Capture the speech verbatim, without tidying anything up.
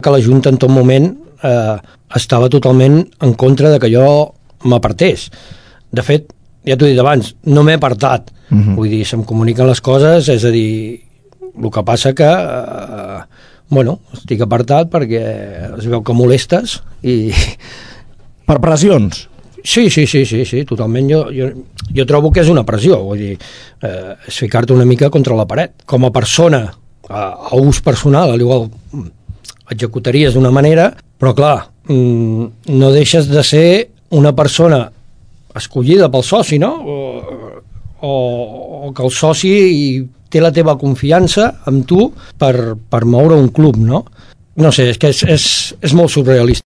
que la Junta en tot moment eh, estava totalment en contra de que jo m'apartés. De fet, ja t'ho he dit abans, no m'he apartat. Uh-huh. Vull dir, se'm comuniquen les coses, és a dir, el que passa que eh, bueno, estic apartat perquè es veu que molestes i... Per pressions? Sí, sí, sí, sí, sí, totalment. Jo, jo, jo trobo que és una pressió, vull dir, eh, és ficar-te una mica contra la paret. Com a persona, a, a ús personal, al igual executaries d'una manera, però clar, no deixes de ser una persona escollida pel soci, no? O, o, o que el soci té la teva confiança amb tu per, per moure un club, no? No sé, és que és, és, és molt surrealista.